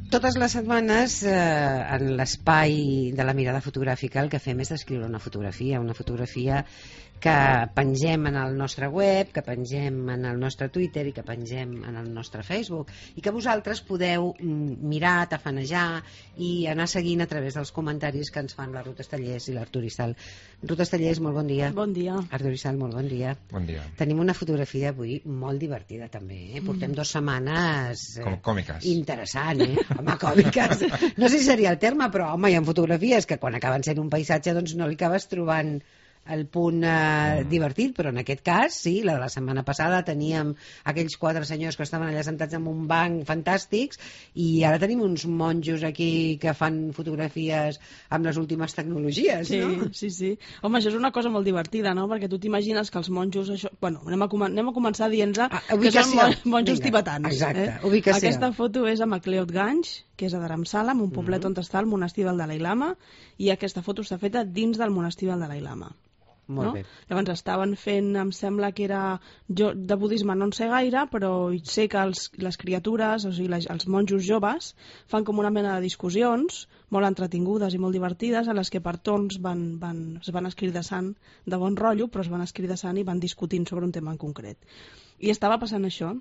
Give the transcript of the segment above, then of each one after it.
Totes les setmanes, en l'espai de la mirada fotogràfica, el que fem és descriure una fotografia que pengem en el nostre web, que pengem en el nostre Twitter i que pengem en el nostre Facebook, i que vosaltres podeu mirar, tafanejar i anar seguint a través dels comentaris que ens fan la Ruth Estellés i l'Artur Isal. Ruth Estellés, molt bon dia. Bon dia. Artur Isal, molt bon dia. Bon dia. Tenim una fotografia avui molt divertida també, portem 2 setmanes còmiques. Interessant, home, còmiques, no sé si seria el terme, però home, hi ha fotografies que quan acaben sent un paisatge doncs no li acabes trobant el punt divertit, però en aquest cas sí, la de la setmana passada teníem aquells 4 senyors que estaven allà sentats en un banc fantàstics, i ara tenim uns monjos aquí que fan fotografies amb les últimes tecnologies, sí, no? Sí. Home, això és una cosa molt divertida, no? Perquè tu t'imagines que els monjos... Bueno, anem a començar dient-nos que són monjos tibetans. Exacte, ubicació. Aquesta foto és a McLeod-Ganj, que és a Dharamsala, en un poblet on està el monestir del Dalai Lama, i aquesta foto està feta dins del monestir del Dalai Lama. Molt bé. Llavors estaven fent, em sembla que era... Jo de budisme no en sé gaire, però sé que les criatures, o sigui, els monjos joves, fan com una mena de discussions molt entretingudes i molt divertides, en les que per torns es van escridassant de bon rotllo, però es van escridassant i van discutint sobre un tema en concret. I estava passant això.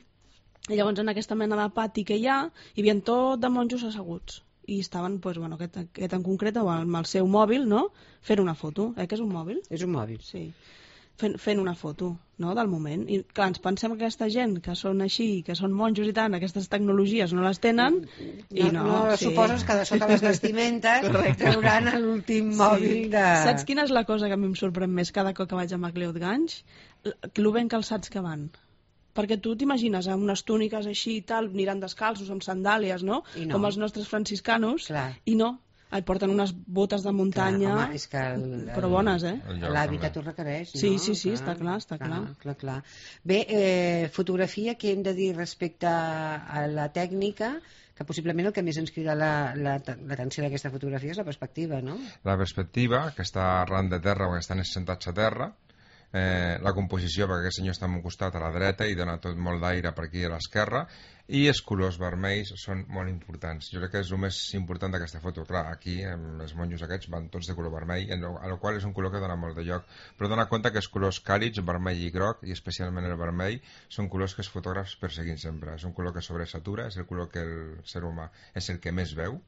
I llavors en aquesta mena de pati que hi havia tot de monjos asseguts. I estaven, aquest en concret, amb el seu mòbil, no? Fent una foto. Que és un mòbil? És un mòbil. Sí. Fent una foto, no?, del moment. I clar, ens pensem que aquesta gent que són així, que són monjos i tant, aquestes tecnologies no les tenen, i no. Sí. Suposes que de sota les vestimentes trauran l'últim mòbil de... Saps quina és la cosa que a mi em sorprèn més cada cop que vaig a McLeod-Ganj? Lo ben calçats que van. Perquè tu t'imagines amb unes túniques així i tal, aniran descalços, amb sandàlies, no? Com els nostres franciscanos, i no. Et porten unes botes de muntanya, clar, home, és que però bones, l'hàbitat ho requereix, no? Sí, està clar. Bé, fotografia, què hem de dir respecte a la tècnica? Que possiblement el que més ens crida l'atenció d'aquesta fotografia és la perspectiva, no? La perspectiva, que està arran de terra o que estan sentats a terra, la composició, perquè aquest senyor està en un costat a la dreta i dona tot molt d'aire per aquí a l'esquerra, i els colors vermells són molt importants. Jo crec que és el més important d'aquesta foto. Clar, aquí els monjos aquests van tots de color vermell, a la qual és un color que dona molt de lloc, però dona compte que els colors càlids, vermell i groc, i especialment el vermell, són colors que els fotògrafs perseguim sempre. És un color que sobresatura, és el color que el ser humà és el que més veu,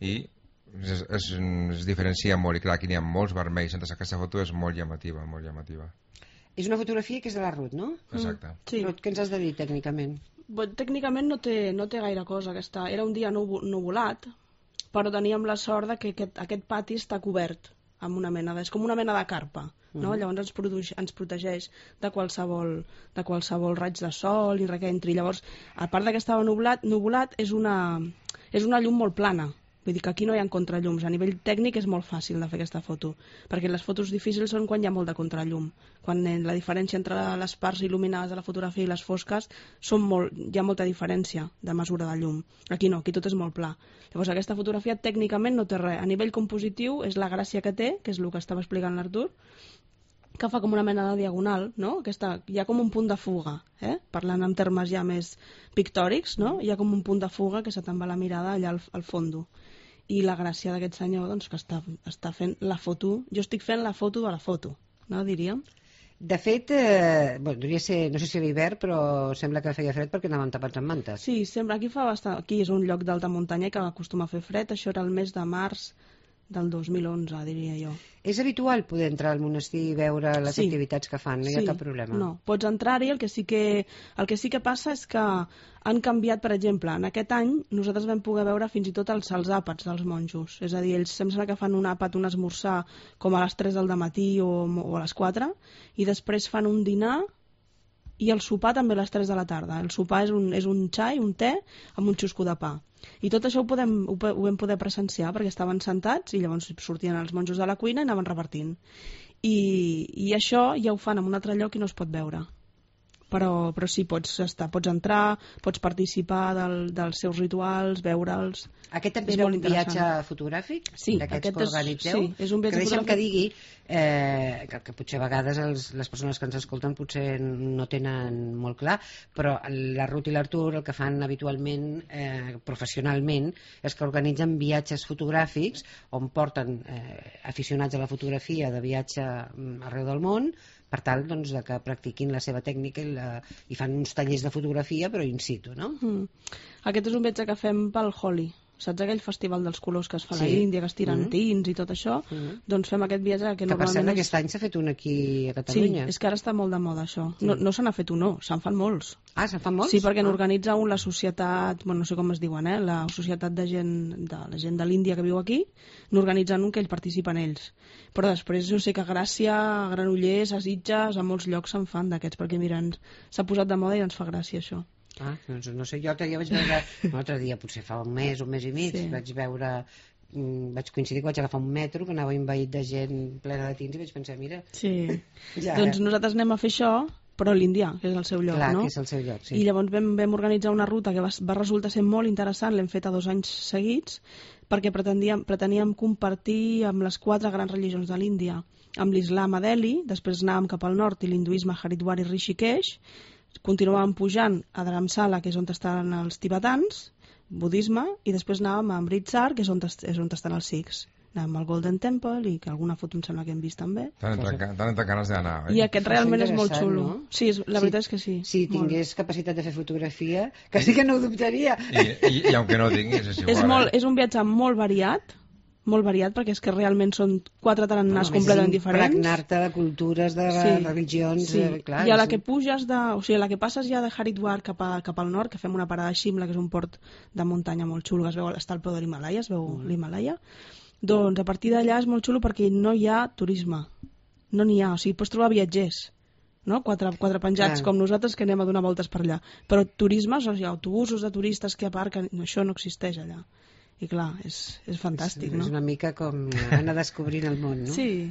i es diferencia molt, i clar, aquí n'hi ha molts vermells, entonces aquesta foto és molt llamativa, molt llamativa. És una fotografia que és de la Ruth, no? Exacte. Sí. Ruth, què ens has de dir tècnicament? Tècnicament no té gaire cosa. Era un dia nuvolat, però teníem la sort de que aquest pati està cobert amb una mena és com una mena de carpa, no? Llavors ens protegeix de qualsevol raig de sol i res que entri. Llavors, a part que estava nuvolat, és una llum molt plana. Vull dir que aquí no hi ha contrallums. A nivell tècnic és molt fàcil de fer aquesta foto, perquè les fotos difícils són quan hi ha molt de contrallum. Quan la diferència entre les parts il·luminades de la fotografia i les fosques hi ha molta diferència de mesura de llum. Aquí no, aquí tot és molt pla. Llavors aquesta fotografia tècnicament no té res. A nivell compositiu és la gràcia que té, que és el que estava explicant l'Artur, que fa com una mena de diagonal, no? Hi ha com un punt de fuga, parlant en termes ja més pictòrics, no? Hi ha com un punt de fuga que se te'n va la mirada allà al fondo. I la gràcia d'aquest senyor, doncs, que està fent la foto... Jo estic fent la foto de la foto, no, diríem? De fet, devia ser, no sé si a l'hivern, però sembla que feia fred perquè anàvem tapats amb mantes. Sí, sempre. Aquí és un lloc d'alta muntanya que acostuma a fer fred. Això era el mes de març del 2011, diria jo. És habitual poder entrar al monestir i veure les activitats que fan? No hi ha cap problema? No, pots entrar-hi. El que sí que passa és que han canviat, per exemple, en aquest any nosaltres vam poder veure fins i tot els àpats dels monjos. És a dir, ells sembla que fan un àpat, un esmorzar, com a les 3 del matí o a les 4, i després fan un dinar i el sopar també a les 3 de la tarda. El sopar és un xai, un te, amb un xusco de pa. I tot això ho vam poder presenciar perquè estaven sentats i llavors sortien els monjos de la cuina i anaven repartint. I això ja ho fan en un altre lloc i no es pot veure. però sí, pots entrar, pots participar dels seus rituals, veure'ls. Aquest també És era molt un viatge interessant. fotogràfic? Sí, d'aquests aquest que organitzeu? sí, és un viatge que deixa'm fotogràfic. que digui que potser a vegades les persones que ens escolten potser no tenen molt clar, però la Ruth i l'Artur el que fan habitualment professionalment és que organitzen viatges fotogràfics on porten aficionats a la fotografia de viatge arreu del món per tal doncs, de que practiquin la seva tècnica i fan uns tallers de fotografia però in situ, no? Aquest és un viatge que fem pel Holi. Saps aquell festival dels colors que es fa a Sí. l'Índia, que es tiren tins i tot això? Doncs fem aquest viatge que Que per cert normalment aquest any s'ha fet un aquí a Catalunya. Sí, és que ara està molt de moda això. No se n'ha fet un, no, se'n fan molts. Ah, se'n fan molts? Sí, perquè n'organitza un la societat, bueno, no sé com es diuen, la societat de la gent de l'Índia que viu aquí, n'organitzen un que ells participen ells. Però després jo sé que a Gràcia, a Granollers, a Sitges, a molts llocs se'n fan d'aquests, perquè mira, s'ha posat de moda i ens fa gràcia això. Ah, doncs no sé, jo l'altre dia vaig veure, l'altre dia potser fa un mes i mig, vaig veure, vaig coincidir que vaig agafar un metro que anava envaït de gent plena de tins i vaig pensar, mira... Sí, doncs nosaltres anem a fer això, però a l'Índia, que és el seu lloc, Clar, no? que és el seu lloc, sí. I llavors vam organitzar una ruta que va resultar ser molt interessant, l'hem feta 2 anys seguits, perquè preteníem compartir amb les 4 grans religions de l'Índia, amb l'Islam a Delhi, després anàvem cap al nord i l'hinduisme a Haridwar i Rishikesh, continuàvem pujant a Dharamsala, que és on estan els tibetans, budisme, i després anàvem a Amritsar, que és on estan els sikhs. Anàvem al Golden Temple i que alguna foto em sembla que hem vist també. T'han entrat ganes d'anar, I aquest realment és molt xulo. No? Sí, la veritat és que sí. Si tingués capacitat de fer fotografia, que sí que no ho dubtaria. I aunque no tinguis, és igual. És un viatge molt variat, perquè és que realment són 4 tarannàs completament diferents. Impregnar-te de cultures, de religions... Sí. Clar, I a la que puges o sigui, a la que passes ja de Haridwar cap al nord, que fem una parada a Shimla, que és un port de muntanya molt xulo, que es veu, està al peu de l'Himalaya, es veu l'Himalaya, doncs a partir d'allà és molt xulo perquè no hi ha turisme. No n'hi ha, o sigui, pots trobar viatgers, no? Quatre penjats com nosaltres que anem a donar voltes per allà. Però turisme, o sigui, autobusos de turistes que aparquen, això no existeix allà. I clar, és fantàstic, no? És una mica com anar descobrint el món, no? Sí.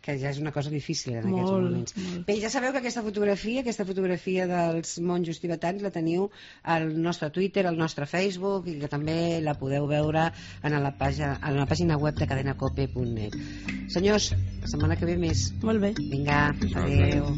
Que ja és una cosa difícil en aquests moments. Molt. Bé, ja sabeu que aquesta fotografia dels monjos tibetans la teniu al nostre Twitter, al nostre Facebook, i que també la podeu veure a la pàgina web de cadenacope.net. Senyors, la setmana que ve més. Molt bé. Vinga, adeu.